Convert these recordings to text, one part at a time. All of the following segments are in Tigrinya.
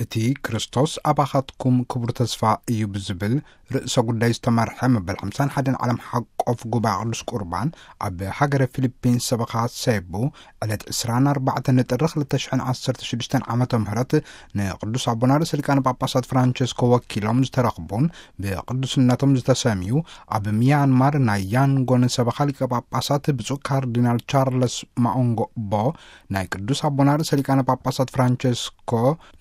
እቲ ክርስቶስ ኣባኻትኩም ክቡር ተስፋ እዩ ብዝብል ርእሰ ጉዳይ ዝተመርሐ መበል ሓምሳን ሓደን ዓለም ሓቆፍ ጉባኤ ቅዱስ ቁርባን ኣብ ሃገረ ፊሊፒንስ ሰበኻ ሴቡ ዕለት ዕስራን ኣርባዕተን ጥሪ ክልተ ሽሕን ዓሰርተ ሽዱሽተን ዓመተ ምህረት ንቅዱስ ኣቦና ርእሰ ሊቃነ ጳጳሳት ፍራንቸስኮ ወኪሎም ዝተረኽቡን ብቅዱስነቶም ዝተሰምዩ ኣብ ሚያንማር ናይ ያንጎን ሰበኻ ሊቀ ጳጳሳት ብፁዕ ካርዲናል ቻርለስ ማኦንጎ ቦ ናይ ቅዱስ ኣቦና ርእሰ ሊቃነ ጳጳሳት ፍራንቸስኮ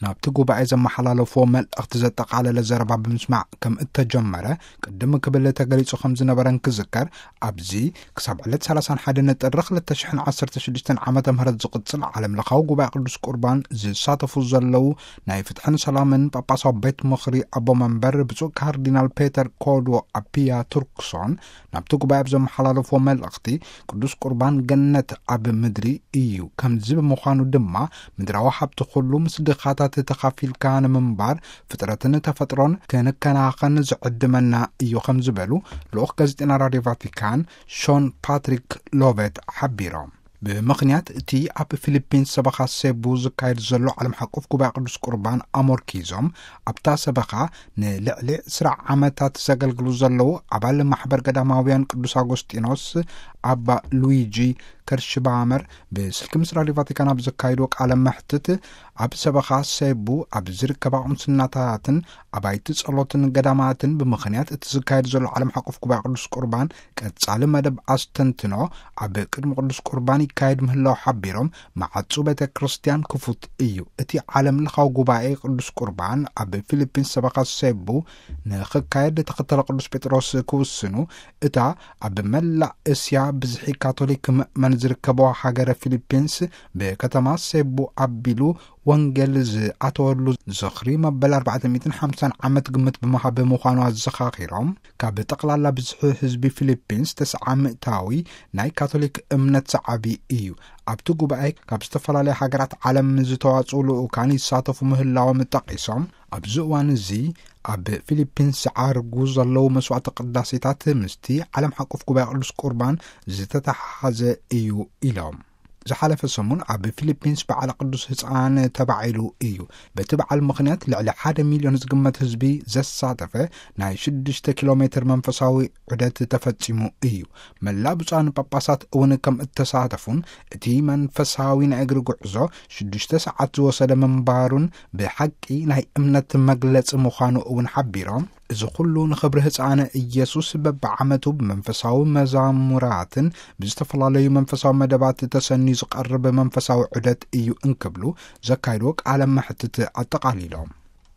ናብቲ ጉባኤ ዘመሓላለፍዎ መልእኽቲ ዘጠቓለለ ዘረባ ብምስማዕ ከም እተጀመረ ቅድም ክብል ተገሊጹ ከም ዝነበረን ክዝከር፣ ኣብዚ ክሳብ ዕለት ሰላሳን ሓደን ጥሪ ክልተ ሽሕን ዓሰርተ ሽዱሽተን ዓመተ ምህረት ዝቕጽል ዓለም ለኻዊ ጉባኤ ቅዱስ ቁርባን ዝሳተፉ ዘለዉ ናይ ፍትሕን ሰላምን ጳጳሳዊ ቤት ምኽሪ ኣቦ መንበር ብፁዕ ካርዲናል ፔተር ኮድዎ ኣፒያ ቱርክሶን ናብቲ ጉባኤ ኣብ ዘመሓላለፍዎ መልእኽቲ፣ ቅዱስ ቁርባን ገነት ኣብ ምድሪ እዩ። ከምዚ ብምዃኑ ድማ ምድራዊ ሃብቲ ኩሉ ምስ ድኻታት ተኻፊልካ ንምንባር ፍጥረትን ተፈጥሮን ክንከናኸን ዝዕድመና እዩ ከም ዝበሉ ልኡኽ ጋዜጠና ራድዮ ቫቲካን ሾን ፓትሪክ ሎቬት ሓቢሮም። ብምኽንያት እቲ ኣብ ፊሊፒንስ ሰበኻ ሴቡ ዝካየድ ዘሎ ዓለም ሓቆፍ ጉባኤ ቅዱስ ቁርባን ኣሞርኪዞም ኣብታ ሰበኻ ንልዕሊ ዕስራ ዓመታት ዘገልግሉ ዘለዉ ኣባል ማሕበር ገዳማውያን ቅዱስ ኣጎስጢኖስ ኣባ ሉዊጂ ከርሽባመር ብስልኪ ምስ ራድዮ ቫቲካን ኣብ ዘካየድዎ ቃለ መሕትት፣ ኣብ ሰበኻ ሴቡ ኣብ ዝርከባ ቁምስናታትን ኣባይቲ ጸሎትን ገዳማትን ብምኽንያት እቲ ዝካየድ ዘሎ ዓለም ሓቆፍ ጉባኤ ቅዱስ ቁርባን ቀጻሊ መደብ ኣስተንትኖ ኣብ ቅድሚ ቅዱስ ቁርባን ይካየድ ምህላው ሓቢሮም፣ መዓጹ ቤተ ክርስቲያን ክፉት እዩ። እቲ ዓለም ለኻዊ ጉባኤ ቅዱስ ቁርባን ኣብ ፊሊፒንስ ሰበኻ ሴቡ ንኽካየድ ተኸተለ ቅዱስ ጴጥሮስ ክውስኑ፣ እታ ኣብ መላእ እስያ ብዝሒ ካቶሊክ ምእመን ዝርከቦ ሃገረ ፊሊፒንስ ብከተማ ሴቡ ኣቢሉ ወንጌል ዝኣተወሉ ዝኽሪ መበል ኣርባዕተ ሚእትን ሓምሳን ዓመት ግምት ብምሃብ ምዃኑ ኣዘኻኺሮም፣ ካብ ጠቕላላ ብዝሒ ህዝቢ ፊሊፒንስ ተስዓ ሚእታዊ ናይ ካቶሊክ እምነት ሰዓቢ እዩ። ኣብቲ ጉባኤ ካብ ዝተፈላለያ ሃገራት ዓለም ዝተዋጽኡ ልኡካን ይሳተፉ ምህላዎም ጠቒሶም፣ ኣብዚ እዋን እዚ ኣብ ፊሊፒንስ ዝዓርጉ ዘለዉ መስዋዕቲ ቅዳሴታት ምስቲ ዓለም ሓቆፍ ጉባኤ ቅዱስ ቁርባን ዝተተሓሓዘ እዩ ኢሎም። ዝሓለፈ ሰሙን ኣብ ፊሊፒንስ በዓል ቅዱስ ህፃን ተባዒሉ እዩ። በቲ በዓል ምኽንያት ልዕሊ ሓደ ሚልዮን ዝግመት ህዝቢ ዘሳተፈ ናይ ሽዱሽተ ኪሎ ሜትር መንፈሳዊ ዑደት ተፈጺሙ እዩ። መላእ ብፁዓን ጳጳሳት እውን ከም እተሳተፉን እቲ መንፈሳዊ ናይ እግሪ ጉዕዞ ሽዱሽተ ሰዓት ዝወሰደ ምንባሩን ብሓቂ ናይ እምነት መግለጺ ምዃኑ እውን ሓቢሮም፣ እዚ ኩሉ ንኽብሪ ህፃነ ኢየሱስ በብዓመቱ ብመንፈሳዊ መዛሙራትን ብዝተፈላለዩ መንፈሳዊ መደባት ተሰንዩ ዝቐርብ መንፈሳዊ ዑደት እዩ እንክብሉ ዘካይድዎ ቃለ መሕትት ኣጠቓሊሎም።